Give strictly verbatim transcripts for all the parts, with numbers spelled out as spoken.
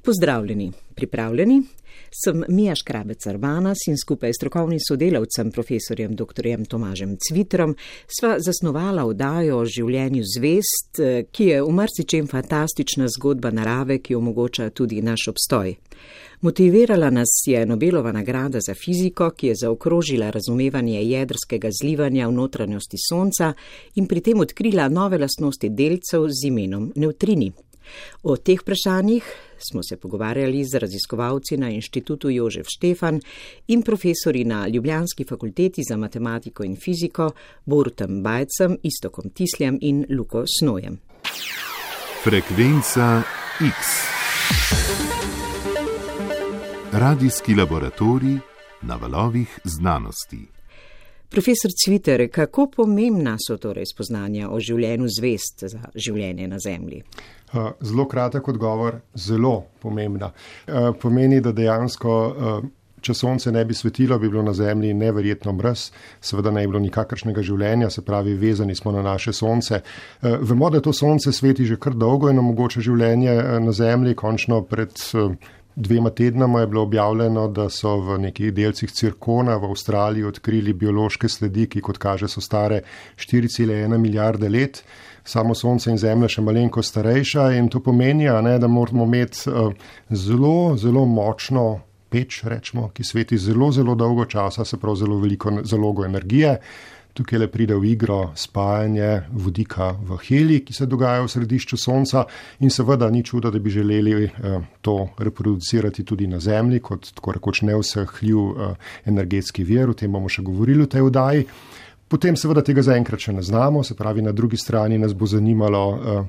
Pozdravljeni, pripravljeni? Sem Mija Škrabec-Arbanas in skupaj s strokovnim sodelavcem, profesorjem doktorjem Tomažem Cvitrom, sva zasnovala oddajo o življenju zvezd, ki je v marsičem fantastična zgodba narave, ki omogoča tudi naš obstoj. Motivirala nas je Nobelova nagrada za fiziko, ki je zaokrožila razumevanje jedrskega zlivanja v notranjosti Sonca in pri tem odkrila nove lastnosti delcev z imenom nevtrini. O teh vprašanjih smo se pogovarjali z raziskovalci na Inštitutu Jožef Štefan in profesori na Ljubljanski fakulteti za matematiko in fiziko Borutom Bajcem, Iztokom Tisljem in Luko Snojem. Frekvenca X. Radijski laboratorij na valovih znanosti. Profesor Cviter, kako pomembna so torej spoznanja o življenju zvezd za življenje na Zemlji? Zelo kratek odgovor, zelo pomembna. Pomeni, da dejansko, če Sonce ne bi svetilo, bi bilo na Zemlji neverjetno mraz, seveda ne bi bilo nikakršnega življenja, se pravi, vezani smo na naše Sonce. Vemo, da to Sonce sveti že kar dolgo in omogoča življenje na Zemlji. Končno pred dvema tednama je bilo objavljeno, da so v nekih delcih cirkona v Avstraliji odkrili biološke sledi, ki kot kaže so stare štiri cela ena milijarde let. Samo Sonce in Zemlja še malenko starejša in to pomeni, ne, da moramo imeti uh, zelo, zelo močno peč, rečemo, ki sveti zelo, zelo dolgo časa, se pravi zelo veliko zalogo energije. Tukaj le pride v igro spajanje vodika v helij, ki se dogaja v središču Sonca in seveda ni čudo, da bi želeli uh, to reproducirati tudi na Zemlji, kot tako rekoč neusahljiv uh, energetski vir, o tem bomo še govorili v tej oddaji. Potem seveda tega zaenkrat še ne znamo, se pravi na drugi strani nas bo zanimalo,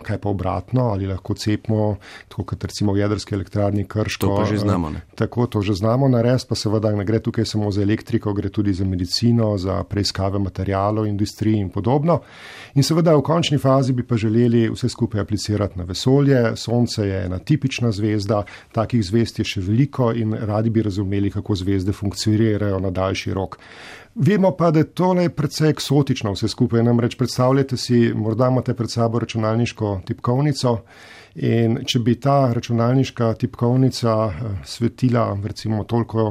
kaj pa obratno, ali lahko cepimo, tako kot recimo v jedrski elektrarni Krško. To pa že znamo, ne? Tako, to že znamo narediti, pa seveda ne gre tukaj samo za elektriko, gre tudi za medicino, za preiskave materialov, industriji in podobno. In seveda v končni fazi bi pa želeli vse skupaj aplicirati na vesolje. Sonce je ena tipična zvezda, takih zvezd je še veliko in radi bi razumeli, kako zvezde funkcionirajo na daljši rok. Vemo pa, da je tole precej eksotično vse skupaj, namreč predstavljate si, morda imate pred sabo računalniško tipkovnico in če bi ta računalniška tipkovnica svetila recimo toliko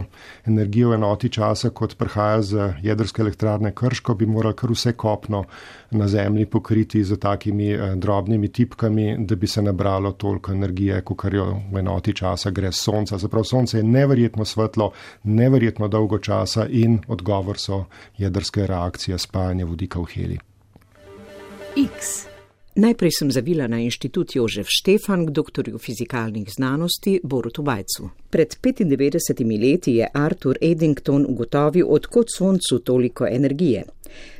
energije v enoti časa, kot prihaja z jedrske elektrarne Krško, bi morali kar vse kopno na Zemlji pokriti z takimi drobnimi tipkami, da bi se nabralo toliko energije, kakor jo v enoti časa gre z Sonca. Zaprav Sonce je neverjetno svetlo, neverjetno dolgo časa in odgovor so jedrske reakcije spajanja vodika v helij. X. Najprej sem zavila na Inštitut Jožef Štefan k doktorju fizikalnih znanosti Borutu Bajcu. Pred petindevetdesetimi leti je Arthur Eddington ugotovil, odkot Soncu toliko energije.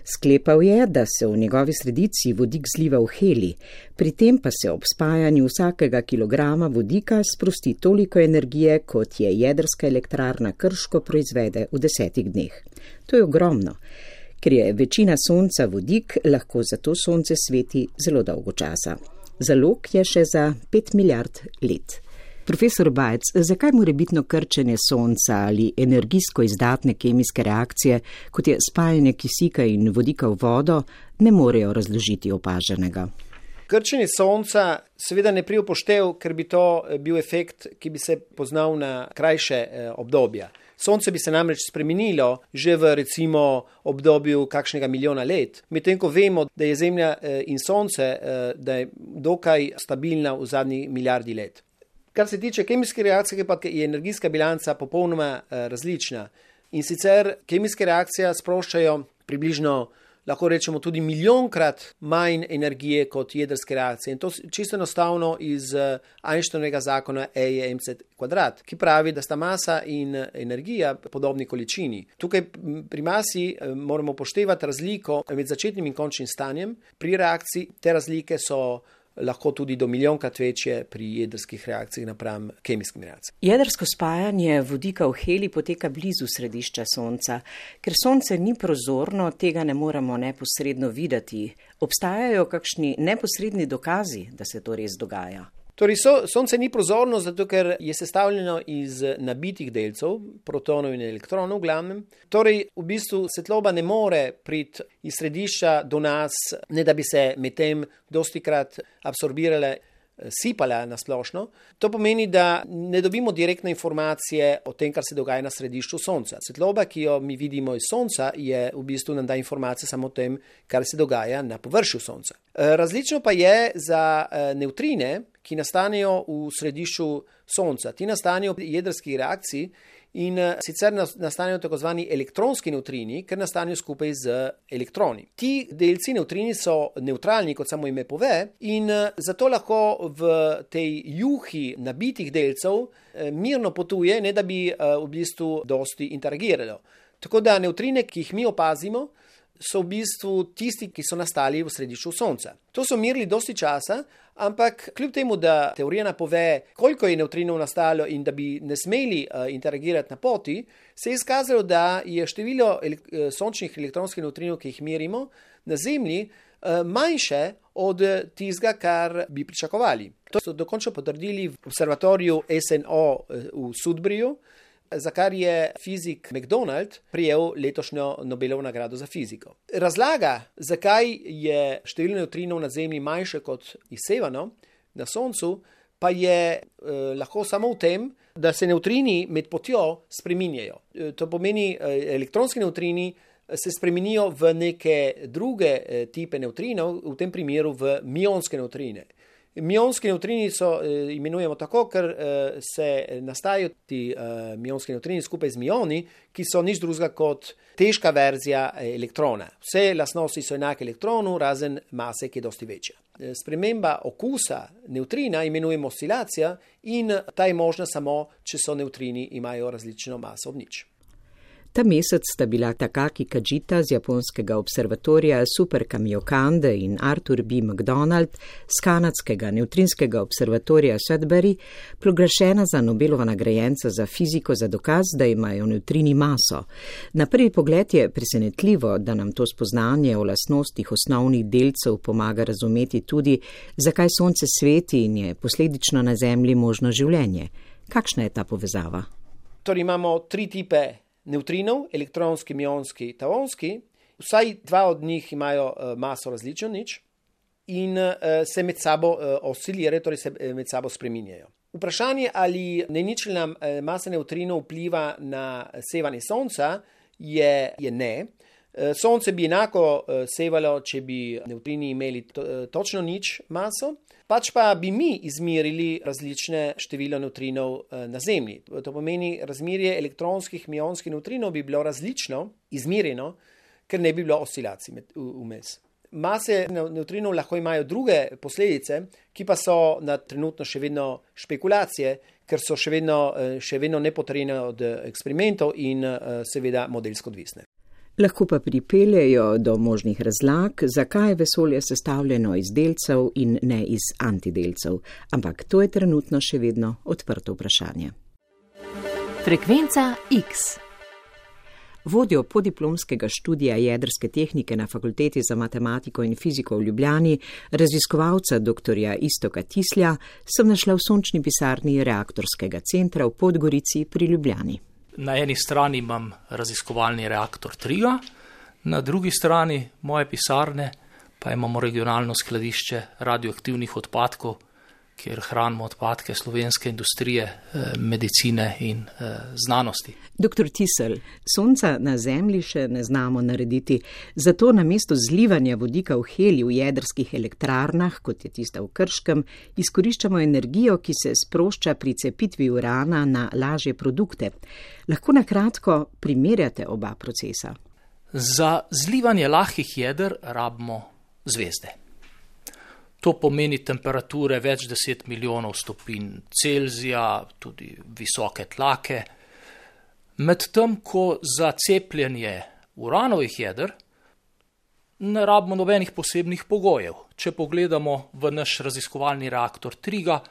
Sklepal je, da se v njegovi sredici vodik zliva v helij, pri tem pa se ob spajanju vsakega kilograma vodika sprosti toliko energije, kot je jedrska elektrarna Krško proizvede v desetih dneh. To je ogromno. Ker je večina Sonca vodik, lahko zato Sonce sveti zelo dolgo časa. Zalog je še za pet milijard let. Profesor Bajc, zakaj morebitno krčenje Sonca ali energijsko izdatne kemijske reakcije, kot je spajanje kisika in vodika v vodo, ne morejo razložiti opaženega? Krčenje Sonca seveda ne pride v poštev, ker bi to bil efekt, ki bi se poznal na krajše obdobja. Sonce bi se namreč spremenilo že v recimo obdobju kakšnega milijona let, medtem ko vemo, da je Zemlja in Sonce, da je dokaj stabilna v zadnji milijardi let. Kar se tiče kemijske reakcije, pa je energijska bilanca popolnoma različna. In sicer kemijske reakcije sproščajo približno, lahko rečemo, tudi milijonkrat manj energije kot jedrske reakcije. In to čisto enostavno iz Einsteinovega zakona E je mc kvadrat, ki pravi, da sta masa in energija podobni količini. Tukaj pri masi moramo upoštevati razliko med začetnim in končnim stanjem. Pri reakciji te razlike so lahko tudi do milijonkrat večje pri jedrskih reakcijah napram kemijskim reakcijam. Jedrsko spajanje vodika v helij poteka blizu središča Sonca. Ker Sonce ni prozorno, tega ne moremo neposredno videti. Obstajajo kakšni neposredni dokazi, da se to res dogaja? Torej, so, Sonce ni prozorno, zato ker je sestavljeno iz nabitih delcev, protonov in elektronov v glavnem. Torej, v bistvu svetloba ne more priti iz središča do nas, ne da bi se medtem dostikrat absorbirale sipala na splošno. To pomeni, da ne dobimo direktne informacije o tem, kar se dogaja na središču Sonca. Svetloba, ki jo mi vidimo iz Sonca, je v bistvu nam da informacije samo o tem, kar se dogaja na površju Sonca. Različno pa je za nevtrine, ki nastanejo v središču Sonca. Ti nastanejo v jedrski reakciji in sicer nastanejo tako zvani elektronski nevtrini, ker nastanejo skupaj z elektroni. Ti delci nevtrini so nevtralni, kot samo ime pove, in zato lahko v tej juhi nabitih delcev mirno potuje, ne da bi v bistvu dosti interagiralo. Tako da nevtrine, ki jih mi opazimo, so v bistvu tisti, ki so nastali v središču Sonca. To so merili dosti časa, ampak kljub temu, da teorija napove, koliko je nevtrinov nastalo in da bi ne smeli uh, interagirati na poti, se je izkazalo, da je število elek- sončnih elektronskih nevtrinov, ki jih merimo na Zemlji, uh, manjše od tistega, kar bi pričakovali. To so dokončno potrdili v observatoriju S N O v Sudburyju, za kar je fizik McDonald prijel letošnjo Nobelovo nagrado za fiziko. Razlaga, zakaj je število nevtrinov na Zemlji manjše kot izsevano na Soncu, pa je eh, lahko samo v tem, da se nevtrini med potjo spreminjajo. E, to pomeni, eh, elektronski nevtrini se spremenijo v neke druge eh, tipe nevtrinov, v tem primeru v mionske nevtrine. Mionski nevtrini so, e, imenujemo tako, ker e, se nastajajo ti e, mionski nevtrini skupaj z mioni, ki so nič drugega kot težka verzija elektrona. Vse lastnosti so enake elektronu, razen mase, ki je dosti večja. E, sprememba okusa nevtrina imenujemo oscilacija in ta je možna samo, če so nevtrini imajo različno maso od nič. Ta mesec sta bila Takaki Kajita z japonskega observatorija Super Kamiokande in Arthur B. McDonald z kanadskega nevtrinskega observatorija Sudbury proglašena za Nobelova nagrajenca za fiziko za dokaz, da imajo nevtrini maso. Na prvi pogled je presenetljivo, da nam to spoznanje o lastnostih osnovnih delcev pomaga razumeti tudi, zakaj Sonce sveti in je posledično na Zemlji možno življenje. Kakšna je ta povezava? Torej imamo tri tipe nevtrinov, elektronski, mionski, taonski. Vsaj dva od njih imajo uh, maso različno nič in uh, se med sabo uh, oscilirajo, torej se med sabo spreminjajo. Vprašanje, ali neničelna uh, masa nevtrinov vpliva na sevanje Sonca, je, je ne. Uh, Sonce bi enako uh, sevalo, če bi nevtrini imeli to, uh, točno nič maso, pač pa bi mi izmerili različne število nevtrinov na Zemlji. To pomeni, razmerje elektronskih mionskih nevtrinov bi bilo različno izmerjeno, ker ne bi bilo oscilacij vmes. Mase nevtrinov lahko imajo druge posledice, ki pa so na trenutno še vedno špekulacije, ker so še vedno, še vedno nepotrjene od eksperimentov in seveda modelsko odvisne. Lahko pa pripeljejo do možnih razlag, zakaj je vesolje sestavljeno iz delcev in ne iz antidelcev. Ampak to je trenutno še vedno odprto vprašanje. Frekvenca X. Vodjo podiplomskega študija jedrske tehnike na Fakulteti za matematiko in fiziko v Ljubljani, raziskovalca doktorja Iztoka Tislja, sem našla v sončni pisarni reaktorskega centra v Podgorici pri Ljubljani. Na eni strani imam raziskovalni reaktor Triga, na drugi strani moje pisarne pa imamo regionalno skladišče radioaktivnih odpadkov, kjer hranimo odpadke slovenske industrije, medicine in znanosti. Doktor Tisl, Sonca na Zemlji še ne znamo narediti, zato namesto zlivanja vodika v helij v jedrskih elektrarnah, kot je tista v Krškem, izkoriščamo energijo, ki se sprošča pri cepitvi urana na lažje produkte. Lahko na kratko primerjate oba procesa? Za zlivanje lahkih jeder rabimo zvezde. To pomeni temperature več deset milijonov stopinj Celzija, tudi visoke tlake. Medtem ko za cepljenje uranovih jeder ne rabimo nobenih posebnih pogojev. Če pogledamo v naš raziskovalni reaktor Triga,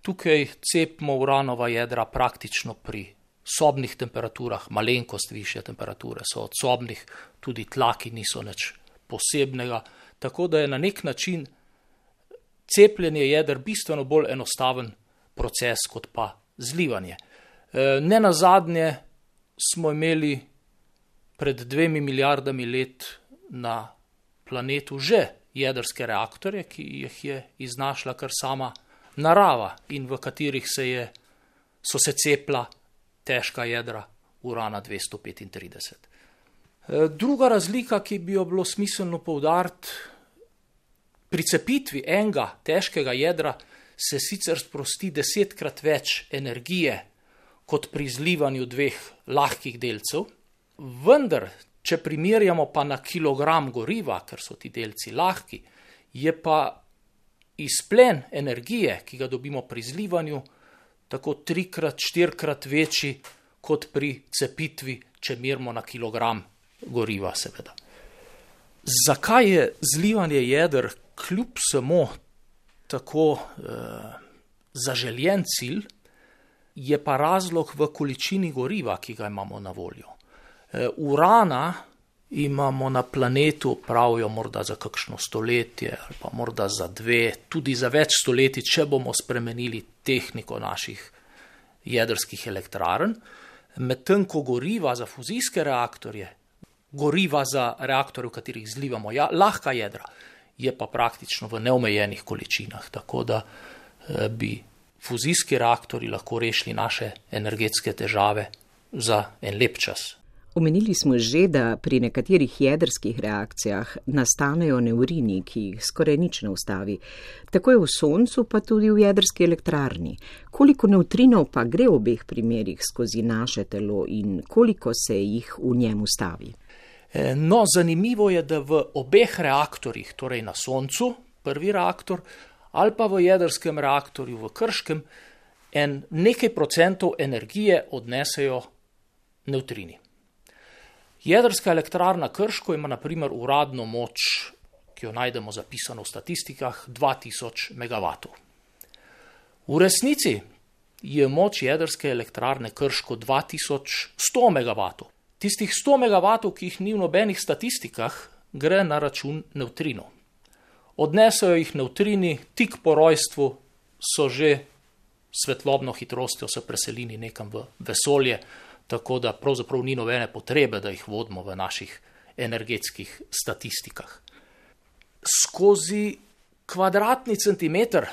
tukaj cepimo uranova jedra praktično pri sobnih temperaturah, malenkost višje temperature so od sobnih, tudi tlaki niso nič posebnega, tako da je na nek način cepljenje jeder bistveno bolj enostaven proces kot pa zlivanje. Ne nazadnje smo imeli pred dvemi milijardami let na planetu že jedrske reaktorje, ki jih je iznašla kar sama narava in v katerih se je, so se cepla težka jedra urana dvesto petintrideset. Druga razlika, ki bi jo bilo smiselno poudariti, pri cepitvi enega težkega jedra se sicer sprosti desetkrat več energije kot pri zlivanju dveh lahkih delcev, vendar, če primerjamo pa na kilogram goriva, ker so ti delci lahki, je pa izplen energije, ki ga dobimo pri zlivanju, tako trikrat, štirikrat večji kot pri cepitvi, če merimo na kilogram goriva, seveda. Zakaj je zlivanje jeder kljub samo tako eh, zaželjen cilj, je pa razlog v količini goriva, ki ga imamo na voljo. E, urana imamo na planetu, pravijo morda za kakšno stoletje ali pa morda za dve, tudi za več stoletij, če bomo spremenili tehniko naših jedrskih elektrarn, medtem ko goriva za fuzijske reaktorje, goriva za reaktorje, v katerih zlivamo ja, lahka jedra, je pa praktično v neomejenih količinah, tako da e, bi fuzijski reaktori lahko rešili naše energetske težave za en lep čas. Omenili smo že, da pri nekaterih jedrskih reakcijah nastanejo nevrini, ki jih skoraj nič ne ustavi. Tako je v Soncu, pa tudi v jedrski elektrarni. Koliko nevtrinov pa gre v obeh primerih skozi naše telo in koliko se jih v njem ustavi? No, zanimivo je, da v obeh reaktorjih, torej na Soncu, prvi reaktor, ali pa v jedrskem reaktorju v Krškem, en nekaj procentov energije odnesejo nevtrini. Jedrska elektrarna Krško ima na primer uradno moč, ki jo najdemo zapisano v statistikah, dva tisoč megavatov. V resnici je moč jedrske elektrarne Krško dva tisoč sto megavatov. Tistih sto megavatov, ki jih ni v nobenih statistikah, gre na račun nevtrinov. Odnesejo jih nevtrini, tik po rojstvu so že svetlobno hitrostjo se preselili nekam v vesolje, tako da pravzaprav ni nobene potrebe, da jih vodimo v naših energetskih statistikah. Skozi kvadratni centimeter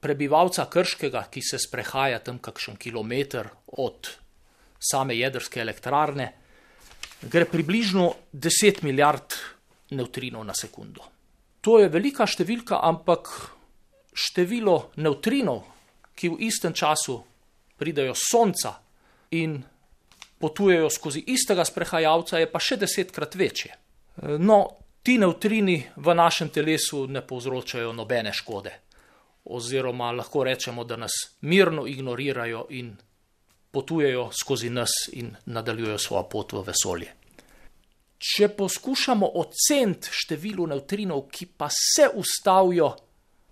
prebivalca Krškega, ki se sprehaja tam kakšen kilometer od same jedrske elektrarne, gre približno deset milijard nevtrinov na sekundo. To je velika številka, ampak število nevtrinov, ki v istem času pridejo s Sonca in potujejo skozi istega sprehajalca, je pa še desetkrat večje. No, ti nevtrini v našem telesu ne povzročajo nobene škode, oziroma lahko rečemo, da nas mirno ignorirajo in potujejo skozi nas in nadaljujejo svojo pot v vesolje. Če poskušamo oceniti število nevtrinov, ki pa se ustavijo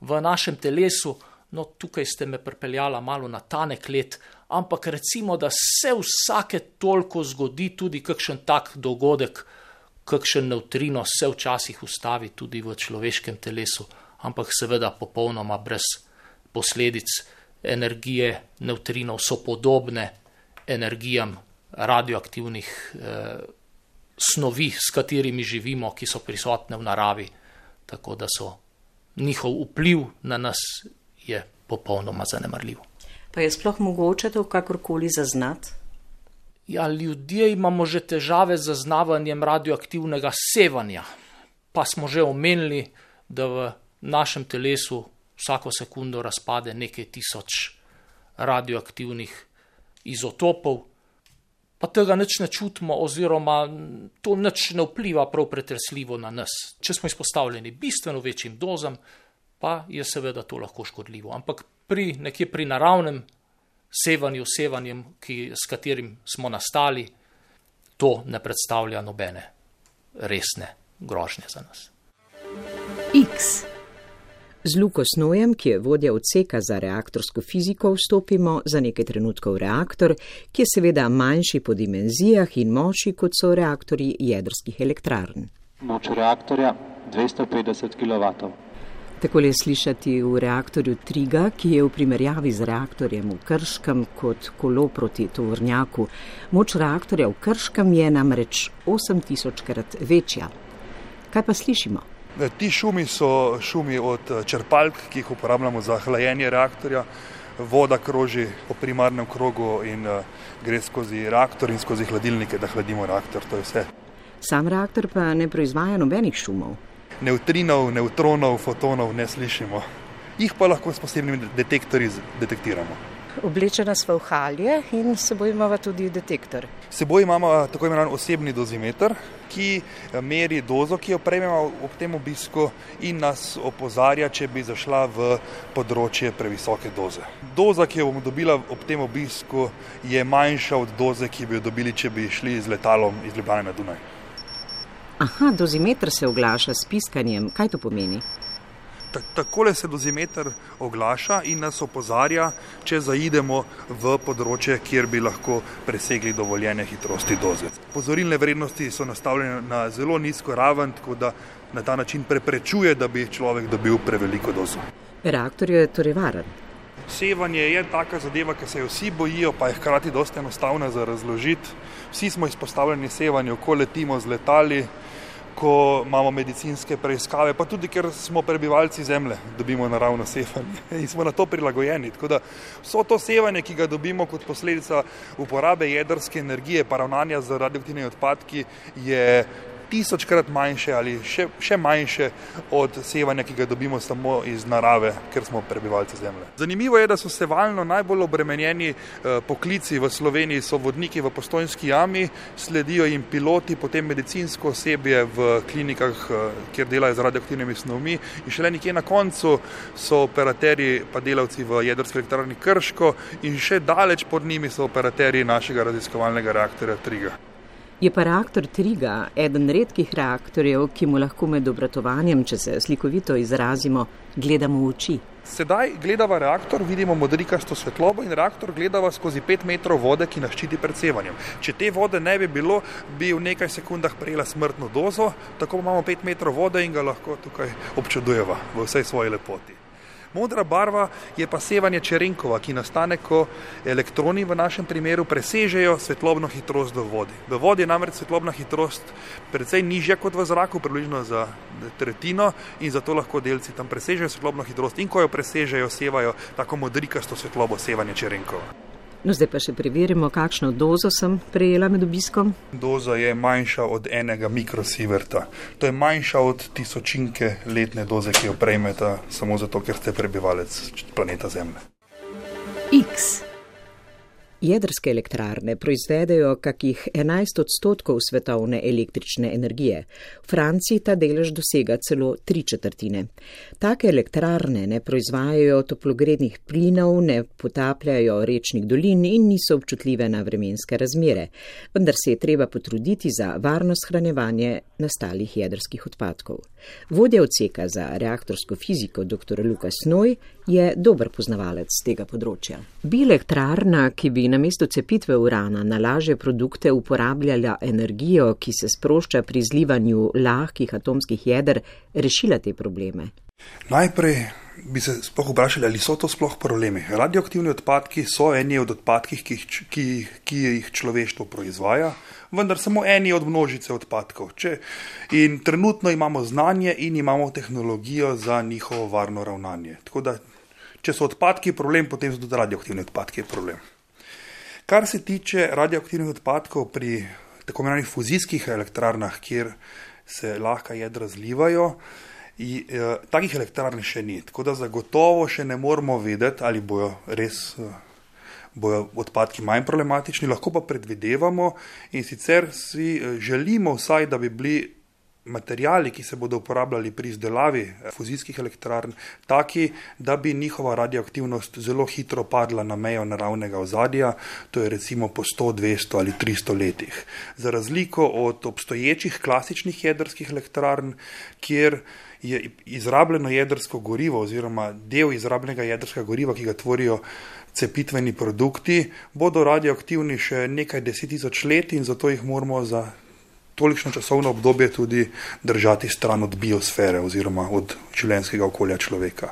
v našem telesu, no tukaj ste me pripeljala malo na tanek led, ampak recimo, da se vsake toliko zgodi tudi kakšen tak dogodek, kakšen nevtrino se včasih ustavi tudi v človeškem telesu, ampak seveda popolnoma brez posledic. Energije nevtrinov so podobne energijam radioaktivnih eh, snovi, s katerimi živimo, ki so prisotne v naravi, tako da so njihov vpliv na nas je popolnoma zanemarljiv. Pa je sploh mogoče to kakorkoli zaznati? Ja, ljudje imamo že težave z zaznavanjem radioaktivnega sevanja, pa smo že omenili, da v našem telesu vsako sekundo razpade nekaj tisoč radioaktivnih izotopov, pa tega nič ne čutimo oziroma to nič ne vpliva prav pretresljivo na nas. Če smo izpostavljeni bistveno večjim dozam, pa je seveda to lahko škodljivo. Ampak pri nekje pri naravnem sevanju, sevanjem, ki, s katerim smo nastali, to ne predstavlja nobene resne grožnje za nas. X. Z Luko Snojem, ki je vodja odseka za reaktorsko fiziko, vstopimo za nekaj trenutkov v reaktor, ki je seveda manjši po dimenzijah in moči, kot so reaktorji jedrskih elektrarn. Moč reaktorja dvesto petdeset kilovatov. Takole je slišati v reaktorju Triga, ki je v primerjavi z reaktorjem v Krškem kot kolo proti tovornjaku. Moč reaktorja v Krškem je namreč osem tisočkrat večja. Kaj pa slišimo? Ti šumi so šumi od črpalk, ki jih uporabljamo za hlajenje reaktorja. Voda kroži po primarnem krogu in gre skozi reaktor in skozi hladilnike, da hladimo reaktor, to je vse. Sam reaktor pa ne proizvaja nobenih šumov. Nevtrinov, nevtronov, fotonov ne slišimo. Jih pa lahko s posebnimi detektorji detektiramo. Oblečena sva v halje in s seboj imamo tudi detektor. S seboj imamo tako imenovan osebni dozimeter, ki meri dozo, ki jo prejmemo ob tem obisku in nas opozarja, če bi zašla v področje previsoke doze. Doza, ki jo bomo dobila ob tem obisku, je manjša od doze, ki bi jo dobili, če bi šli z letalom iz Ljubljane na Dunaj. Aha, dozimeter se oglaša s piskanjem. Kaj to pomeni? Takole se dozimeter oglaša in nas opozarja, če zaidemo v področje, kjer bi lahko presegli dovoljene hitrosti doze. Opozorilne vrednosti so nastavljene na zelo nizko raven, tako da na ta način preprečuje, da bi človek dobil preveliko dozo. Reaktor je torej varen. Sevanje je taka zadeva, ki se jo vsi bojijo, pa je hkrati dosti enostavna za razložiti. Vsi smo izpostavljeni sevanju, ko letimo z letali, ko imamo medicinske preiskave, pa tudi, ker smo prebivalci Zemlje, dobimo naravno sevanje in smo na to prilagojeni. Tako da vso to sevanje, ki ga dobimo kot posledica uporabe jedrske energije, pa ravnanja z radioaktivnimi odpadki, je tisočkrat manjše ali še, še manjše od sevanja, ki ga dobimo samo iz narave, ker smo prebivalci Zemlje. Zanimivo je, da so sevalno najbolj obremenjeni eh, poklici v Sloveniji, so vodniki v Postojnski jami, sledijo jim piloti, potem medicinsko osebje v klinikah, eh, kjer delajo z radioaktivnimi snovmi in šele nekje na koncu so operaterji pa delavci v jedrski elektrarni Krško in še daleč pod njimi so operaterji našega raziskovalnega reaktorja Triga. Je pa reaktor Triga eden redkih reaktorjev, ki mu lahko med obratovanjem, če se slikovito izrazimo, gledamo v oči. Sedaj gledava reaktor, vidimo modrikasto svetlobo in reaktor gledava skozi pet metrov vode, ki nas ščiti pred sevanjem. Če te vode ne bi bilo, bi v nekaj sekundah prejela smrtno dozo, tako imamo pet metrov vode in ga lahko tukaj občudujeva v vsej svoji lepoti. Modra barva je pa sevanje Čerenkova, ki nastane, ko elektroni v našem primeru presežejo svetlobno hitrost v vodi. V vodi je namreč svetlobna hitrost precej nižja kot v zraku, približno za tretjino in zato lahko delci tam presežejo svetlobno hitrost in ko jo presežejo, sevajo tako modrikasto svetlobo, sevanje Čerenkova. No, zdaj pa še preverimo, kakšno dozo sem prejela med obiskom. Doza je manjša od enega mikrosieverta. To je manjša od tisočinke letne doze, ki jo prejmete samo zato, ker ste prebivalec planeta Zemlje. X. Jedrske elektrarne proizvedejo kakih enajst odstotkov svetovne električne energije. V Franciji ta delež dosega celo tri četrtine. Take elektrarne ne proizvajajo toplogrednih plinov, ne potapljajo rečnih dolin in niso občutljive na vremenske razmere, vendar se je treba potruditi za varno shranjevanje nastalih jedrskih odpadkov. Vodja odseka za reaktorsko fiziko dr. Lukas Snoj je dober poznavalec tega področja. Bi elektrarna, ki bi namesto cepitve urana na lažje produkte uporabljala energijo, ki se sprošča pri zlivanju lahkih atomskih jeder, rešila te probleme? Najprej bi se sploh vprašali, ali so to sploh problemi. Radioaktivni odpadki so eni od odpadkih, ki jih, ki, ki jih človeštvo proizvaja, vendar samo eni od množice odpadkov. Če, in trenutno imamo znanje in imamo tehnologijo za njihovo varno ravnanje. Tako da, če so odpadki problem, potem so tudi radioaktivni odpadki problem. Kar se tiče radioaktivnih odpadkov pri tako imenovanih fuzijskih elektrarnah, kjer se lahka jedra zlivajo, I, eh, takih elektrarn še ni, tako da zagotovo še ne moramo vedeti, ali bojo res eh, bojo odpadki manj problematični, lahko pa predvidevamo in sicer si eh, želimo vsaj, da bi bili materiali, ki se bodo uporabljali pri izdelavi fuzijskih elektrarn, taki, da bi njihova radioaktivnost zelo hitro padla na mejo naravnega ozadja, to je recimo po sto, dvesto ali tristo letih. Za razliko od obstoječih klasičnih jedrskih elektrarn, kjer je izrabljeno jedrsko gorivo oziroma del izrabljenega jedrskega goriva, ki ga tvorijo cepitveni produkti, bodo radioaktivni še nekaj deset tisoč let in zato jih moramo za tolikšno časovno obdobje tudi držati stran od biosfere oziroma od življenjskega okolja človeka.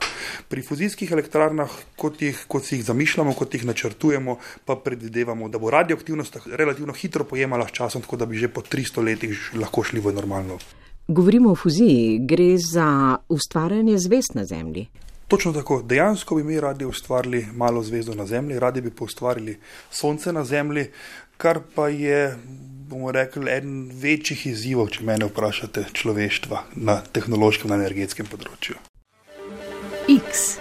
Pri fuzijskih elektrarnah, kot, jih, kot si jih zamišljamo, kot jih načrtujemo, pa predvidevamo, da bo radioaktivnost relativno hitro pojemala s časom, tako da bi že po tristo letih lahko šli v normalno. Govorimo o fuziji, gre za ustvarjanje zvezd na Zemlji. Točno tako. Dejansko bi mi radi ustvarili malo zvezdo na Zemlji, radi bi pa ustvarili Sonce na Zemlji, kar pa je, bomo rekli, eden večjih izzivov, če mene vprašate, človeštva na tehnološkem, na energetskem področju. X.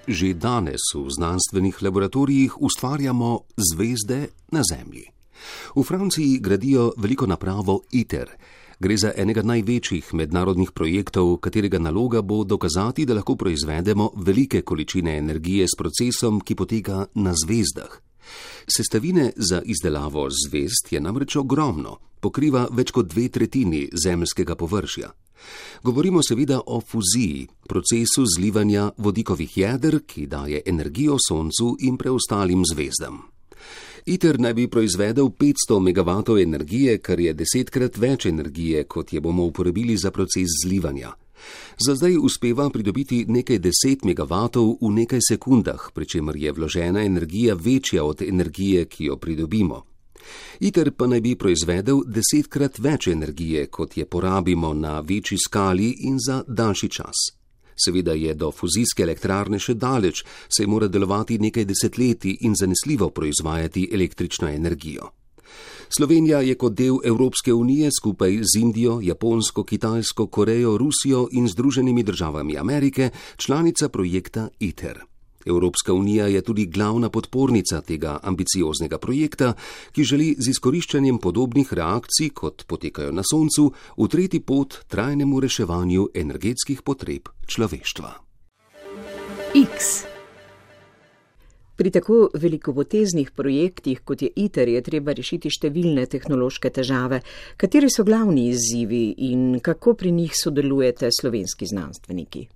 Že danes v znanstvenih laboratorijih ustvarjamo zvezde na Zemlji. V Franciji gradijo veliko napravo ITER. Gre za enega največjih mednarodnih projektov, katerega naloga bo dokazati, da lahko proizvedemo velike količine energije s procesom, ki poteka na zvezdah. Sestavine za izdelavo zvezd je namreč ogromno, pokriva več kot dve tretjini zemeljskega površja. Govorimo seveda o fuziji, procesu zlivanja vodikovih jeder, ki daje energijo Soncu in preostalim zvezdam. ITER naj bi proizvedel petsto megavatov energije, kar je desetkrat več energije, kot je bomo uporabili za proces zlivanja. Za zdaj uspeva pridobiti nekaj deset megavatov v nekaj sekundah, pri čemer je vložena energija večja od energije, ki jo pridobimo. ITER pa naj bi proizvedel desetkrat več energije, kot je porabimo na večji skali in za daljši čas. Seveda je do fuzijske elektrarne še daleč, saj mora delovati nekaj desetletij in zanesljivo proizvajati električno energijo. Slovenija je kot del Evropske unije skupaj z Indijo, Japonsko, Kitajsko, Korejo, Rusijo in Združenimi državami Amerike članica projekta ITER. Evropska unija je tudi glavna podpornica tega ambicioznega projekta, ki želi z izkoriščanjem podobnih reakcij, kot potekajo na Soncu, utreti pot trajnemu reševanju energetskih potreb človeštva. X. Pri tako velikopoteznih projektih, kot je ITER, je treba rešiti številne tehnološke težave. Kateri so glavni izzivi in kako pri njih sodelujete slovenski znanstveniki?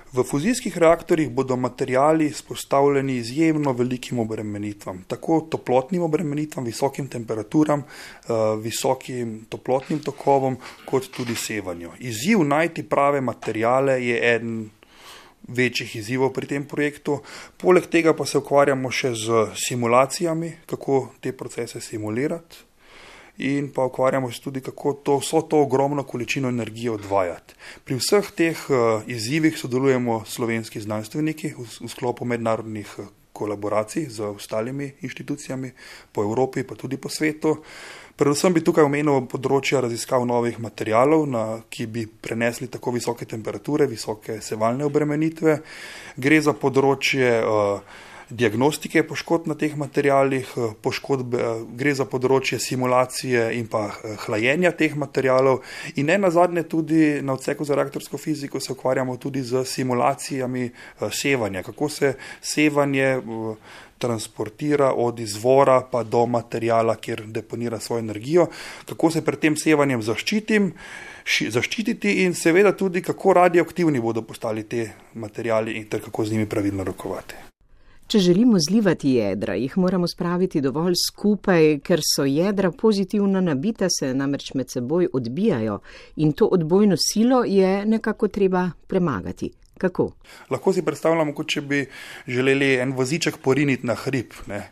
V fuzijskih reaktorjih bodo materiali izpostavljeni izjemno velikim obremenitvam, tako toplotnim obremenitvam, visokim temperaturam, visokim toplotnim tokovom, kot tudi sevanju. Izziv najti prave materiale je eden večjih izzivov pri tem projektu. Poleg tega pa se ukvarjamo še z simulacijami, kako te procese simulirati. In pa ukvarjamo se tudi, kako to, vso to ogromno količino energije odvajati. Pri vseh teh uh, izzivih sodelujemo slovenski znanstveniki v, v sklopu mednarodnih uh, kolaboracij z ostalimi inštitucijami po Evropi, pa tudi po svetu. Predvsem bi tukaj omenil področja raziskav novih materialov, na, ki bi prenesli tako visoke temperature, visoke sevalne obremenitve. Gre za področje uh, diagnostike poškodb na teh materialih, poškodbe, gre za področje simulacije in pa hlajenja teh materialov in ne nazadnje tudi na odseku za reaktorsko fiziko se ukvarjamo tudi z simulacijami sevanja, kako se sevanje transportira od izvora pa do materijala, kjer deponira svojo energijo, kako se pred tem sevanjem zaščitim, zaščititi in seveda tudi, kako radioaktivni bodo postali te materijali in ter kako z njimi pravilno rokovati. Če želimo zlivati jedra, jih moramo spraviti dovolj skupaj, ker so jedra pozitivno nabita, se namreč med seboj odbijajo in to odbojno silo je nekako treba premagati. Kako? Lahko si predstavljamo, kot če bi želeli en voziček poriniti na hrib. Ne.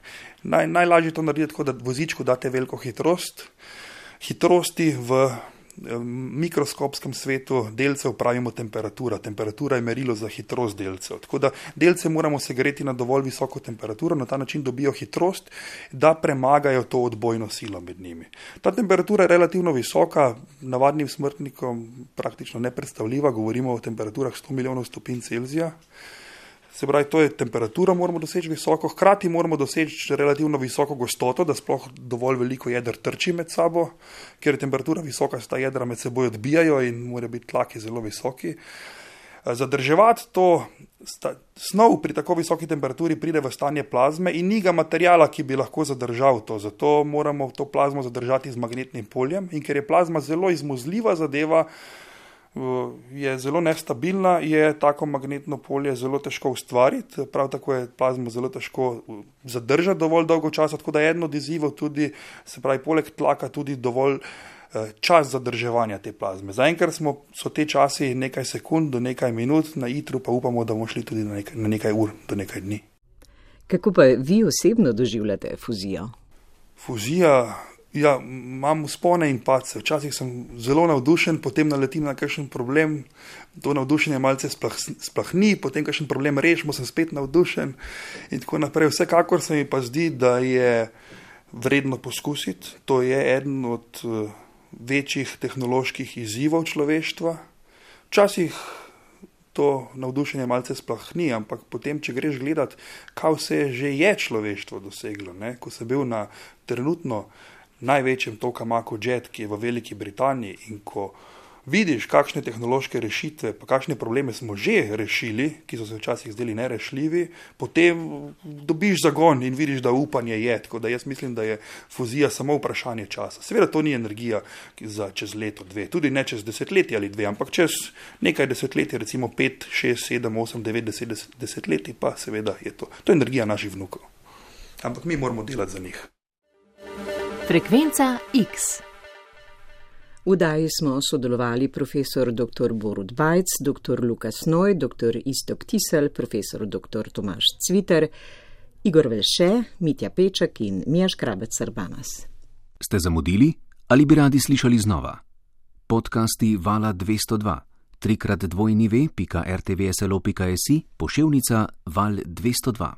Naj, najlažje to narediti tako, da vozičku date veliko hitrost. Hitrosti v mikroskopskem svetu delcev pravimo temperatura. Temperatura je merilo za hitrost delcev. Tako da delce moramo segreti na dovolj visoko temperaturo, na ta način dobijo hitrost, da premagajo to odbojno silo med njimi. Ta temperatura je relativno visoka, navadnim smrtnikom praktično nepredstavljiva, govorimo o temperaturah sto milijonov stopinj Celzija. Se pravi, to je temperatura, moramo doseči visoko, hkrati moramo doseči relativno visoko gostoto, da sploh dovolj veliko jeder trči med sabo, ker je temperatura visoka, se ta jedra med seboj odbijajo in mora biti tlaki zelo visoki. Zadrževati to snov pri tako visoki temperaturi pride v stanje plazme in ni ga materijala, ki bi lahko zadržal to. Zato moramo to plazmo zadržati z magnetnim poljem in ker je plazma zelo izmuzljiva zadeva, je zelo nestabilna, je tako magnetno polje zelo težko ustvariti, prav tako je plazmo zelo težko zadržati dovolj dolgo časa, tako da je eno od izzivov tudi, se pravi, poleg tlaka tudi dovolj čas zadrževanja te plazme. Zaenkrat smo, so te časi nekaj sekund do nekaj minut, na ITER-u pa upamo, da bomo šli tudi na nekaj, na nekaj ur do nekaj dni. Kako pa vi osebno doživljate fuzijo? Fuzija Ja, imam vzpone in padce. Včasih sem zelo navdušen, potem naletim na kakšen problem, to navdušenje malce splah, splahni, potem kakšen problem rešimo, sem spet navdušen in tako naprej. Vsekakor se mi pa zdi, da je vredno poskusiti. To je eden od večjih tehnoloških izzivov človeštva. Včasih to navdušenje malce splahni, ampak potem, če greš gledat, kaj vse že je človeštvo doseglo, ne? Ko sem bil na trenutno največjem tokamaku Jet, ki je v Veliki Britaniji, in ko vidiš, kakšne tehnološke rešitve, pa kakšne probleme smo že rešili, ki so se včasih zdeli nerešljivi, potem dobiš zagon in vidiš, da upanje je. Tako da jaz mislim, da je fuzija samo vprašanje časa. Seveda to ni energija za čez leto, dve, tudi ne čez desetletje ali dve, ampak čez nekaj desetletij, recimo pet, šest, sedem, osem, devet, deset, desetletij, pa seveda je to. To je energija naših vnukov. Ampak mi moramo delati za njih. Frekvenca X. V oddaji smo sodelovali profesor doktor Borut Bajc, doktor Luka Snoj, doktor Iztok Tisel, profesor doktor Tomaž Cviter, Igor Velše, Mitja Peček in Mija Škrabec-Sarbanas. Ste zamudili ali bi radi slišali znova? Podcasti Vala dvesto dva, trikrat dvojni ve pika er te ve es el o pika es i, poševnica Val dvesto dva.